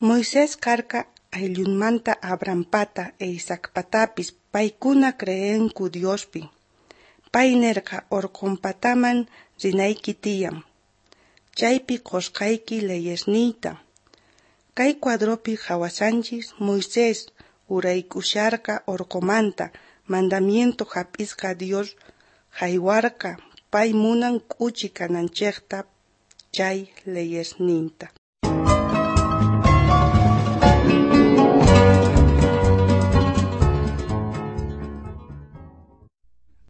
Moisés karka ayllunmanta Abrahampata e Isaacpatapis, paykuna creenku Diospi. Pay nerqa orqonpataman rinayki tiyan. Chaypi qosqayki leyesniyta. Kay cuadropi qhawashanchis Moisés uraykusharqa orqomanta mandamiento jap'isqa Dios jaywarqa pay munan k'uchi kananchejta chay leyesninta.